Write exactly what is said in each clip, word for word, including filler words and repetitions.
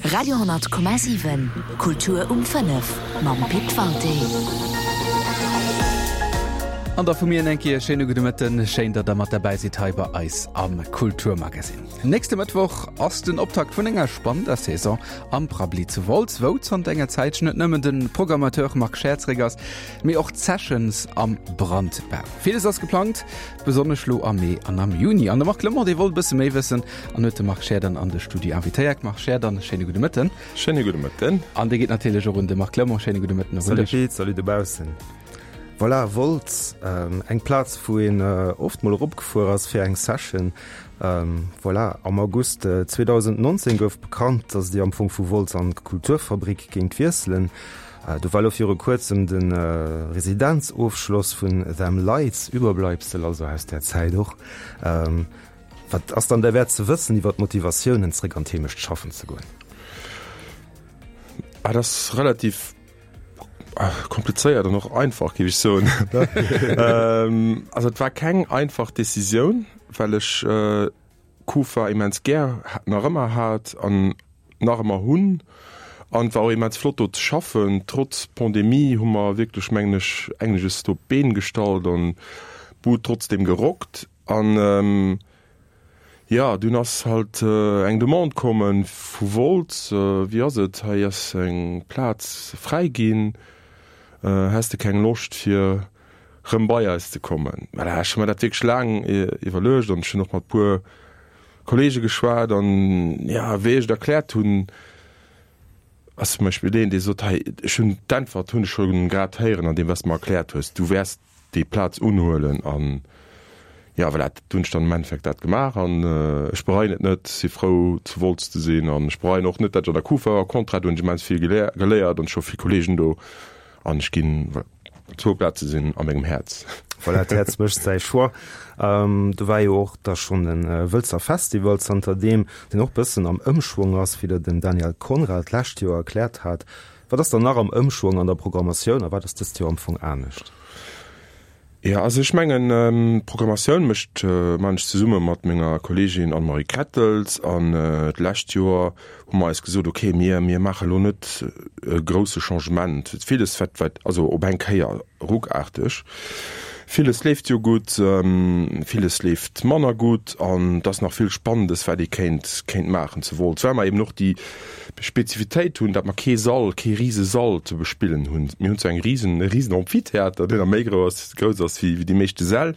Radio honnert Komma siwen, Kultur um fënnef mam Pit Walté. An da vu mir eng Kéier e schéine gudde Mëtten. Schéin, datt der mat derbäi sidd hei bei eis am Kulturmagazin. Nächste Mëttwoch ass den Optakt vun enger spannender Saison am Prabbeli zu Wolz, wou zanter enger Zäitchen net nëmmen de Programmateur Marc Scheer zréck ass, mee och d'Sessions am Brandbau. Villes ass geplangt, besonnesch lo am Mee an am Juni. An de Marc Clement, dee wollt e bësse méi wëssen an huet de Marc Scheer dann an de Studio invitéiert. Marc Scheer, dann e schéine gudde Mëtten. Schéine gudde Mëtten. An dee geet natierlech och un de Marc Clement. Schéine gudde Mëtten och un Salut dech. Pit, salut dobaussen. Voilà, Wolz, eng Plaz wou een oft mol eropgefuer ass fir eng Session. Voilà, am August zweedausendnonzéng gouf bekannt, dass Dir am Fong vu Wolz an d'Kulturfabrik géingt wiesselen. Do war elo viru kuerzem de Residenzofschloss vun Them Lights, Überbleibsel also aus där Zäit och. Wat ass dann derwäert ze wëssen iwwer d'Motivatiounen, zréck an d'Heemecht schaffen ze goen? Ah, dat ass relativ komplizéiert an och einfach, géif ech soen. Also et war keng einfach Decisioun, well ech Kufa immens gär nach ëmmer hat an nach ëmmer hunn. An et war och immens flott do ze schaffen. Trotz Pandemie hu mer wierklech, mengen ech, engeges do op d'Been gestallt an d'Bud trotzdem gerockt. An jo, dunn ass halt eng Demande komme vu Wolz, Wéi ass et, hei ass eng Plaz fräi ginn, häss de keng Loscht fir rëm bei eis ze kommen? Voilà, ech hu mer dat wierklech laang iwwerluecht an ech hunn och mat puer Kollege geschwat an jo, wéi ech et erkläert hunn, ass zum Beispill deen, dee sot, hei, ech hunn d'Äntwert hunn ech scho grad héieren an deem, wat s de mer erkläert hues, du wäers déi Plaz unhuelen an jo, voilà, dat hunn ech dann am Endeffekt dat gemaach an ech bereien et net, si frou zu Wolz ze sinn an ech bereien och net, dat ech an der Kufa war, au contraire, do hunn ech immens vill geléiert an ech hu vill Kollegen do an ech ginn, voilà. Zwou Plaze sinn a mengem Häerz. Voilà, d'Häerz mécht säi Choix. Do war jo och da schonn de Wëlzer Festival zanterdeem, deen och bëssen am Ëmschwong ass, wéi der den Daniel Conrad d'lescht Joer erkläert hat. Wat ass dann nach am Ëmschwong an der Programmatioun a wat ass dëst Joer am Fong anescht? Jo, also ech mengen, d'Programmatioun mécht, maachen ech zesumme mat menger Kolleegin Anne-Marie Krettels an d'lescht Joer hu mer eis gesot, okay, mir, mir maache lo net e grousse Changement, villes wat, wat, also op eng Kéier ruckaarteg, villes leeft jo gutt, villes leeft manner gutt an et ass nach vill Spannendes, wat ee kéint, kéint maachen zu Wolz, well mer eben och déi Spezifitéit hunn, datt mer kee Sall, kee rise Sall ze bespillen hunn. Mir hunn zwar eng risen, e risen Amphitheater, deen nach méi grouss, grouss ass wéi, wéi déi meeschte Säll,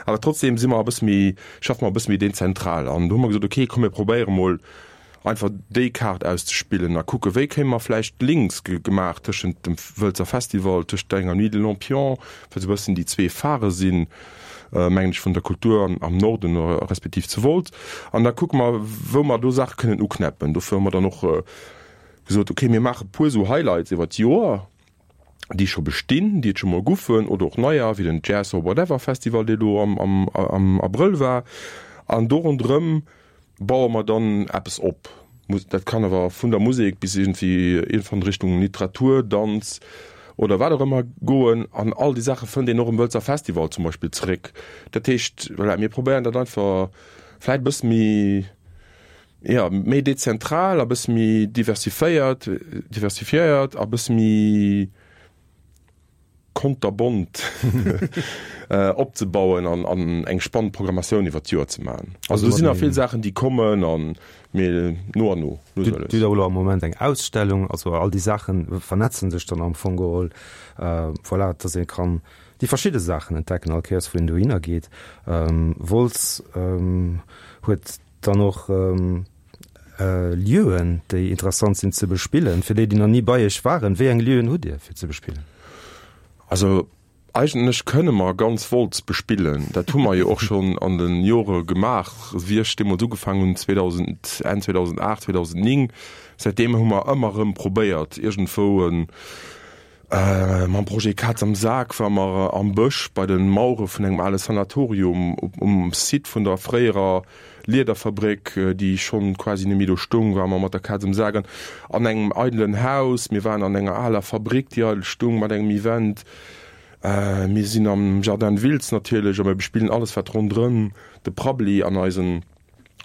awer trotzdem si mer e bësse méi, schaffe mer e bësse méi dezentral. An do hu mer gesot, okay, komm mir probéiere mol einfach déi Kaart auszespillen a kucke wéi kéime mer vläicht Links gemaach tëschent dem Wëlzer Festival, tëschent enger Nuit de Lampion, wat esou e bëssen déi zwee Phare sinn, mengen ech, vun der Kultur am Norden respektiv zu Wolz. An da kucke mer, wou mer do Saache kënnen uknäppen. Dofir hu mer dann och gesot, okay, mir maache puer esou Highlights iwwer d'Joer, déi scho bestinn, déi et scho mol goufen, oder och neier, wéi den Jazz or Whatever Festival, dee elo am Abrëll war. An do ronderëm baue mer dann eppes op. Dat kann awer vun der Musek bis iergendwéi iergendwann Richtung Literatur, Danz oder wat och ëmmer goen. An all déi Saache fënnt een och um Wëlzer Festival zum Beispill zeréck. Dat heescht, voilà, mir probéieren dat einfach vläicht e bësse méi, jo, méi dezentral a bësse méi diversiféiert, diversifiéiert a bësse méi, konterbont opzebauen an an eng spannend Programmatioun iwwer d'Joer ze maachen. Also do sinn nach vill Saachen, déi kommen an mee no an no, lues a lues. Dir hutt och elo am Moment eng Ausstellung, also all déi Saache vernetzen sech dann am Fong geholl, voilà, dass ee kann déi verschidde Saachen entdecken all Kéiers wou een dohinner geet. Wolz huet dann och Lieuen, déi interessant sinn ze bespillen. Fir déi, déi nach ni bei Iech waren, wéi eng Lieuen hutt Dir fir ze bespillen? Also eigentlech kënne mer ganz Wolz bespillen. Dat hu mer jo och schonn an de Jore gemaach, wéi ech deemools ugefaangen hunn, zweedausend, Enn zweedausendacht, zweedausendzéng. Säitdeem hu mer ëmmer erëm probéiert, iergendwou e Mam Projet Kaz am Sak ware mer am Bësch bei de Mauere vun engem ale Sanatorium um Site vun der fréierer Liederfabréck, déi schonn quasi net méi do stoung, ware mer mat der Kaz am Sak an an engem eidelen Haus. Mir waren an enger aler Fabréck, déi eidel stoung, mat engem Event. Mir sinn am Jardin de Wiltz natierlech a mir bespillen alles, wat ronderëm de Prabbeli an eisen,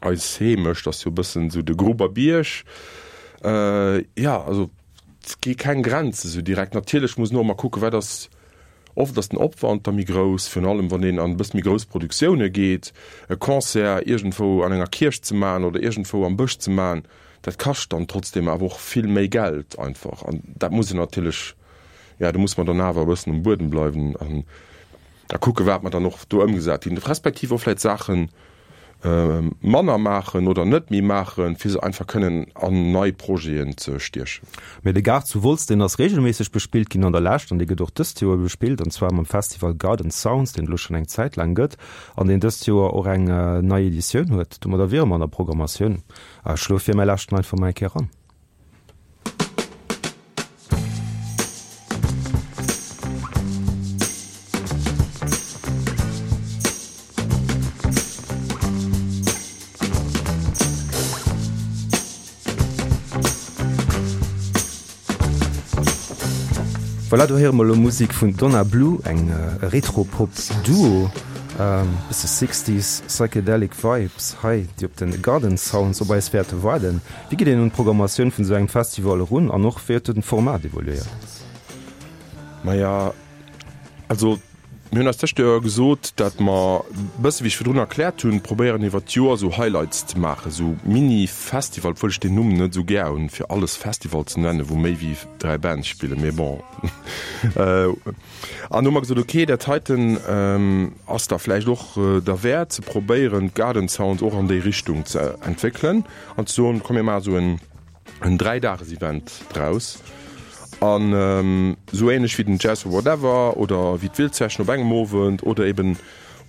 eis Heemecht ass jo e bëssen esou de Gruber Bierg. Jo, also et gi keng Grenze sou direkt. Natierlech muss een och emmer kucken, wat ass, oft ass den Opwand da méi grouss, virun allem wann een an e bësse méi grouss Produktioune geet. E Concert iergendwou an enger Kierch ze maachen oder iergendwou am Bësch ze maachen, dat kascht dann trotzdem awer och vill méi Geld einfach. An dat muss een natierlech, jo, do muss mer dann awer e bëssen um Buedem bleiwen an a kucke wat mer dann och do ëmgesat kinn, respektiv och vläicht Saachen manner maachen oder net méi maachen, fir se einfach kënnen an nei Projeten ze stiechen. Mee de Gaart zu Wolz, deen ass reegelméisseg bespillt ginn an der Lescht an dee gëtt och dëst Joer bespillt, an zwar mam Festival Garden Sounds, deen et elo schonn eng Zäit laang gëtt an deen dëst Joer och eng nei Editioun huet. Domadder wiere mer an der Programmatioun. Ech schloe vir, mer lauschten einfach mol eng Kéier eran. Voilà, do héiere mer elo Musek vun Donna Blue, eng Retro-Pop-Duo, bësse Sixties Psychedelic Vibes hei, déi op de Garden Sounds op eis wäerte waarden. Wéi geet een un d'Programmatioun vun esou engem Festival erun an och wéi huet den Format evoluéiert? Maja, also mir hunn eis d'lescht Joer gesot, datt mer, bësse wéi ech virdrun erkläert hunn, probéieren iwwert d'Joer esou Highlights ze maachen, esou Mini-Festival, obwuel ech deen Numm net esou gär hunn, fir alles Festival ze nennen, wou méi wéi dräi Bands spillen, mee bon. An hu mer gesot, okay, dat heiten ass da vläicht och derwäert ze probéieren, d'Garden Sounds och an déi Richtung ze entwéckelen an ze soen, komm mir maache esou en en Dräidagesevent draus an esou ähnlech wéi den Jazz or Whatever oder wéi d'Wildsession op engem Owend oder eben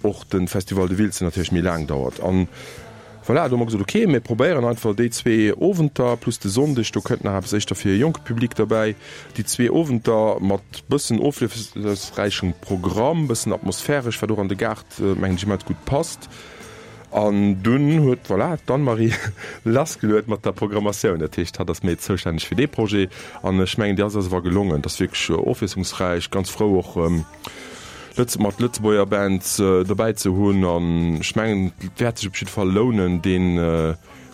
och de Festival de Wiltz, deen natierlech méi laang dauert. An voilà, do hu mer gesot, ok, mir probéieren einfach déi zwee Owenter plus de Sonndeg, do kënnt nach eppes éischter fir e jonke Public derbäi, déi zwee Owenter mat bëssen ofwiesslungsräichem Programm, bëssen atmosphäresch, wat och an de Gaart, mengen ech, immens gutt passt. An dunn huet, voilà, d'Anne-Marie lassgeluet mat der Programmatioun. Dat heescht, hatt ass méi zoustänneg fir dee Projet. An ech mengen, déi ass eis awer gelongen. Et ass wierklech ofwiesslungsräich. Ganz frou och Lëtz mat Lëtzebuerger Bands dobäi ze hunn. An ech mengen, et wäert sech op jidde Fall lounen, dee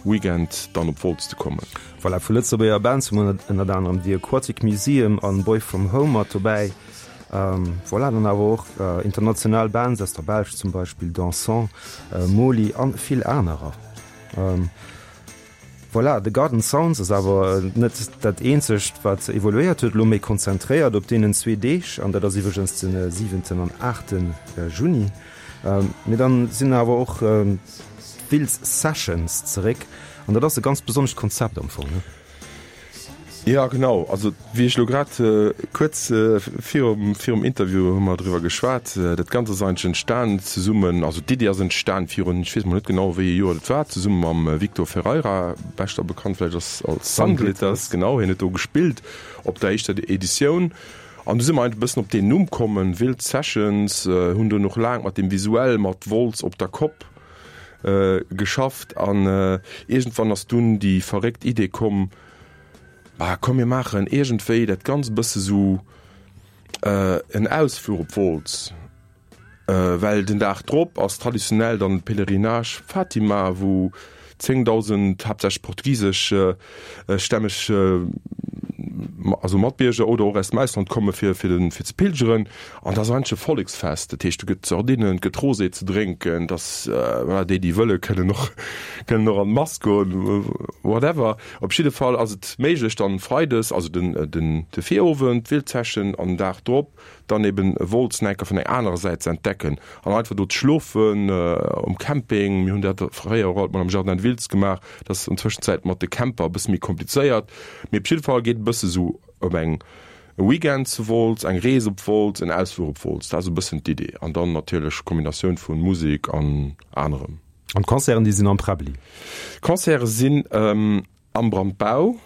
Weekend dann op Wolz ze kommen. Voilà, vu Lëtzebuerger Bands hu mer ënnert anerem The Aquatic Museum an Boy From Home mat dobäi. Voilà, dann awer och international Bands aus der Belsch zum Beispill Dansant, Moli an vill anerer. Voilà, The Garden Sounds ass awer net dat eenzegt wat evoluéiert huet, elo méi konzentréiert op deenen zwee Deeg, an dat ass iwwregens de siwenten an aachte Juni. Mee dann sinn awer och d'Wiltz Sessions zeréck, an dat ass e ganz besonnescht Konzept am Fong, ne? Jo, genau. Also wéi ech elo grad kuerz virum virum Interview hu mer driwwer geschwat, dat Ganzt ass eigentlech entstan zesummen, also d'Iddi ass entstan virun, ech weess mol net genau wéi ee Joer dat war, zesumme mam Victor Ferreira, beschter bekannt vläicht als als Sunglitters, genau, hien huet do gespillt op der éischter Editioun. An du si mer eigentlech e bëssen op deen Numm kommen, Wild Sessions, hunn dunn och laang mat deem Visuell mat Wolz op der Kopp geschafft an iergendwann ass dunn déi verréckt Idee komm, Ah komm mir maachen iergendwéi dat Ganzt e bësse sou en Ausfluch op Wolz, well den Dag drop ass traditionell dann de Pèlerinage Fatima, wou zéngdausend haaptsächlech portugisesch stämmeg also Matbierger oder och aus dem Ausland komme fir fir den fir ze pilgeren. An dat ass eigentlech e Volleksfest, dat heescht do gëtt Sardinen, et gëtt Rosé ze drénken, et ass voilà, déi déi wëlle kënnen och kënnen och an d'Mass goen, whatever. Op jidde Fall ass et méiglech dann freides, also den den de Virowend d'Wildsession an den Dag drop dann eben Wolz nach eng Kéier vun enger anerer Säit ze entdecken an einfach do ze schlofen um Camping. Mir hunn dat fréier och alt mol am Jardin de Wiltz gemaach, dat ass an Tëschenzäit mat de Camper e bësse méi komplizéiert, mee op jidde Fall geet e bësse sou op eng e Weekend zu Wolz, eng Rees op Wolz, en Ausfluch op Wolz, dat ass e bëssen d'Idee an dann natierlech Kombinatioun vu Musek an anerem. An d'Concerten, déi sinn am Präbbli? D'Concerte sinn am Brandbau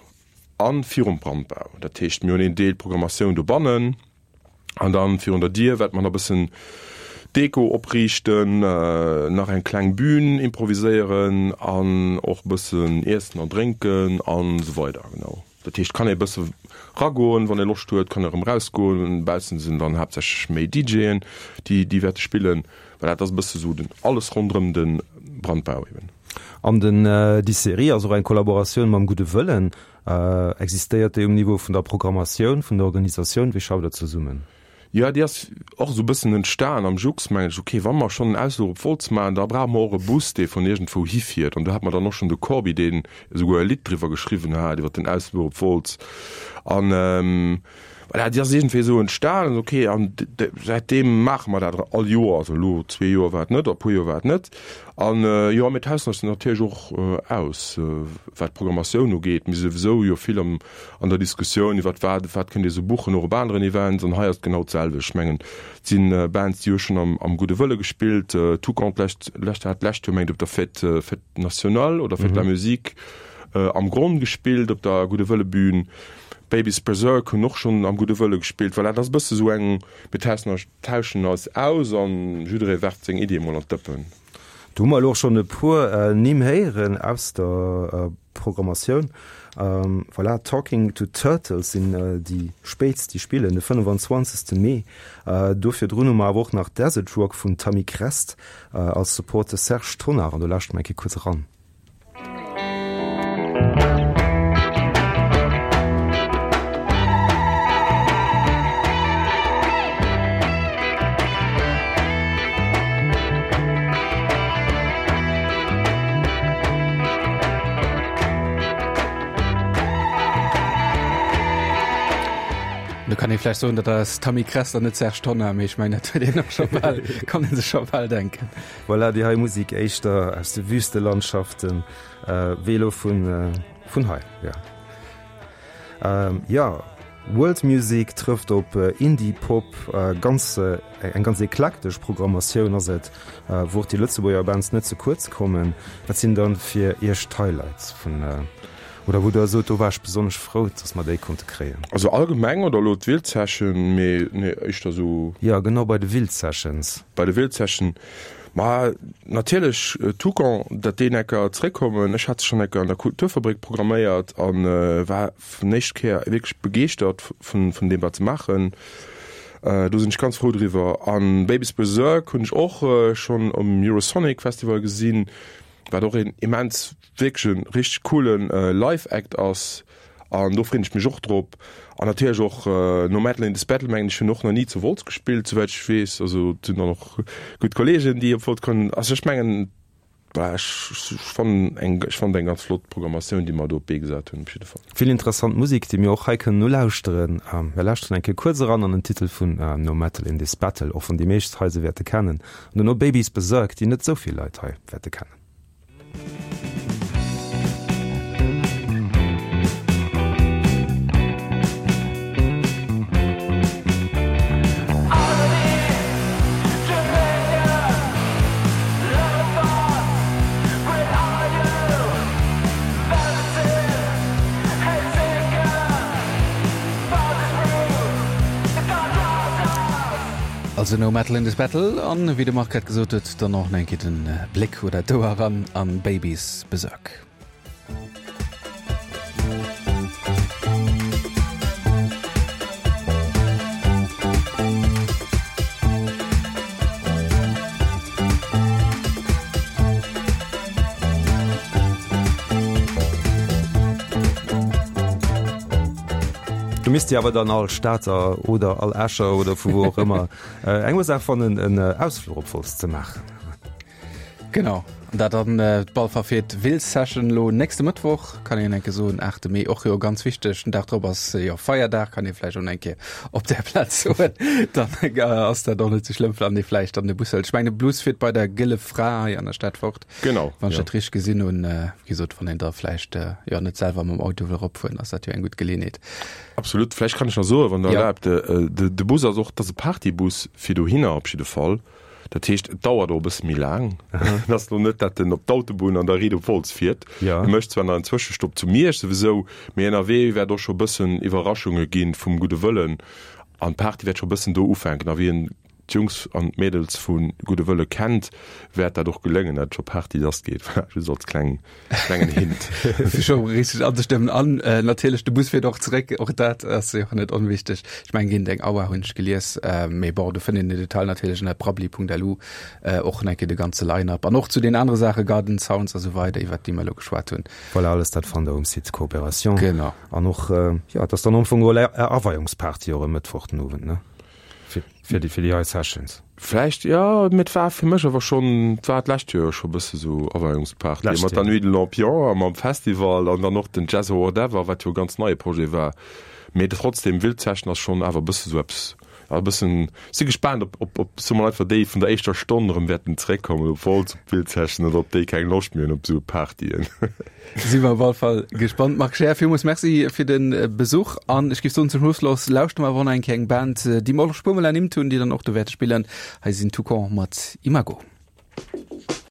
a virum Brandbau. Dat heescht, mir hunn een Deel Programmatioun dobannen an dann virun der Dier wäerte mer nach e bëssen Deko opriichten, nach eng kleng Bühn improviséieren an och e bëssen Iessen an Drénken an esou weider. Genau. Dat heescht, kann ee bësse ragoen, wann ee Loscht huet, kann erëm rausgoen. Baussen sinn dann haaptsächlech méi DJen, déi déi wäerte spillen. Voilà, dat ass e bësse sou den alles ronderëm de Brandbau eben. An den déi Serie ass och eng Kollaboratioun mam Gudde Wëllen. Existéiert déi um Niveau vun der Programmatioun, vun der Organisatioun? Wéi schafft Der zesummen? Jo, déi ass och esou e bëssen entstan am Jux, mengen ech. Ok, wa mer schonn en Ausfluch op Wolz maachen, da brauche mer och e Bus, dee vun iergendwou hifiert. An do hat mer dann och schonn de Corbi, deen esouguer e Lidd driwwer geschriwwen hat, iwwer den Ausfluch op Wolz. An voilà, déi ass iergendwéi esou entstan. Ok, an säitdeem maache mer dat all Joer. Also elo zwee Joer war et net, oder e puer Joer war et net. An jo, mir tauschen eis natierlech och aus, wat d'Programmatioun ugeet. Mir si souwisou jo vill am an der Diskussioun iwwert wat, wat kënnt Dir esou buchen, och op aneren Events. An hei ass et genau d'selwecht. Ech mengen, et si Bands, déi hu schonn am am Gudde Wëlle gespillt. Toucan d'lescht, lescht hat d'lescht Joer, mengt op der Fête, Fête nationale oder Fête de la Musique am Gronn gespillt, op der Gudde Wëlle Bühn. Baby's Berserk hunn och schonn am Gudde Wëlle gespillt. Voilà, dat ass e bësse sou eng, mir tauschen eis, tauschen eis aus an jidderee werft seng Iddie mol an d'Dëppen. Do hu mer elo och schonn e puer Nimm héieren aus der Programmatioun. Voilà, Talking to Turtles sinn déi spéitst, déi spillen de fënnefan-zwanzegste Mee. Do virdrun hu mer awer och nach Desert Rock vun Tamikrest als Support de Serge Tonnar. An do lauschte mer eng Kéier kuerz eran. Do kann ee vläicht soen, dat ass Tamikrest an net Serge Tonnar, mee ech mengen, dat huet een och scho bal, kann ee sech scho bal denken. Voilà, déi hei Musek éischter aus de Wüstelandschaften, wéi elo vun vun hei, jo. Jo, World Music trëfft op Indie Pop, ganz eng ganz eklektesch Programmatioun ass et, wou och déi Lëtzebuerger Bands net ze kuerz kommen. Wat sinn dann fir Iech d'Highlights vun, oder wou Der sot, do war ech besonnesch frou, dass mer déi konnte kréien? Also allgemeng oder elo d'Wild Session, mee nee éischter esou. Jo, genau, bei de Wild Sessions. Bei de Wild Session, ma natierlech Toucan, datt déi enker zréckkommen. Ech hat se schonn enker an der Kulturfabrik programméiert a war vun éischt Kéier wierklech begeeschtert vun vun deem wat se maachen. Do sinn ech ganz frou driwwer. An Baby's Berserk hunn ech och schonn um Eurosonic Festival gesinn, wat och een immens wierklech e richteg coolen Live Act ass. An do freen ech mech och drop. An natierlech och No Metal in This Battle, mengen ech, hunn och nach ni zu Wolz gespillt, souwäit ech weess. Also et sinn dann och gutt Kollegen, déi op Wolz kommen. Also ech mengen, voilà, ech fannen eng, ech fannen eng ganz flott Programmatioun, déi mer do op d'Bee gesat hunn, op jidde Fall. Vill interessant Musek, déi mir och hei kënnen nolauschteren. Mir lauschteren eng Kéier kuerz eran an den Titel vun No Metal in This Battle, och wann déi meescht hei se wäerte kennen. An duerno Baby's Berserk, déi net esou vill Leit hei wäerte kennen. Also No Metal in this Battle an wéi de Marc grad gesot huet, dann och nach eng Kéier den Bléck oder d'Ouer eran an Baby's Berserk. Do misst Dir awer dann all Stater oder all Escher oder vu wou och ëmmer eng Ursaach fannen, en Ausfluch op Wolz ze maachen. Genau, an dat dann d'Ballverfeet Wild Session elo nächste Mëttwoch, kann een enke soen, aachte Mee, och jo ganz wichteg. Den Dag drop ass jo Feierdag, kann ee vläicht och eng Kéier op där Plaz soen. Dann ass dat och net sou schlëmm, wann ee vläicht dann de Bus hëlt. Ech mengen, de Bus fiert bei der Gëlle Fra hei an der Stad fort. Genau, Wann ech dat richteg gesinn hunn. Wéi gesot, wann een da vläicht jo net selwer mam Auto wëll eropfueren, ass dat jo eng gutt Geleeënheet. Absolut. Vläicht kann ech nach soen, wann Der erlaabt, de Bus ass och, dat ass e Partybus fir dohinner op jidde Fall. Dat heescht, et dauert och e bësse méi laang. Et ass elo net, datt en op d'Autobunn an da riit op Wolz fiert. E mécht zwar nach en Zwëschestopp zu Miersch souwisou, mee ënnerwee wäert och scho e bëssen Iwwerraschunge gi vum gudde Wëllen an d'Party wäert scho e bëssen do ufänken. A wien d'Jungs an d'Mädels vu Gudde Wëlle kennt, wäert dat och geléngen, dat scho Party lass geet. Voilà, just als kleng, klengen Hint. Fir scho richteg anzestëmmen. An natierlech de Bus fiert och zeréck, och dat ass jo net onwichteg. Ech mengen géint eng Auer hunn ech gelies, mee bon, do fënnt een den Detail natierlech ënner prabbeli.lu, och nach eng Kéier de ganze Line-up an och zu den anere Saache, Garden Sounds a sou weider, iwwert déi mer elo geschwat hunn. Voilà, alles dat fannt der um Site Coopération. Genau. An och, jo, et ass dann am Fong och Är Aweiungsparty och e Mëttwoch den Owend, ne? Fir déi, fir déi hei Sessions. Vläicht, jo, mee et war fir mech awer schonn, et war d'lescht Joer scho bësse sou Aweiungsparty D'lescht mat der Joer. Nuit de Lampion a mam Festival an dann och den Jazz or Whatever, wat jo e ganz neie Projet war. Mee trotzdem, Wild Session ass schonn awer e bësse sou eppes, ja, e bëssen, si gespaant, ob, ob, ob, soe mer einfach, déi vun der éischter Stonn erëm wäerten zeréckkommen op Wolz op d'Wild Session oder ob déi keng Loscht méi hunn op sou Partyen. Si mer op all Fall gespannt. Marc Scheer, villmools Merci fir de Besuch an ech géif soen, zum Schluss laus lauschte mer awer och nach eng Kéier eng Band, déi mer och scho puer mol ernimmt hunn, déi dann och do wäerte spillen. Hei sinn Toucan mat Imago.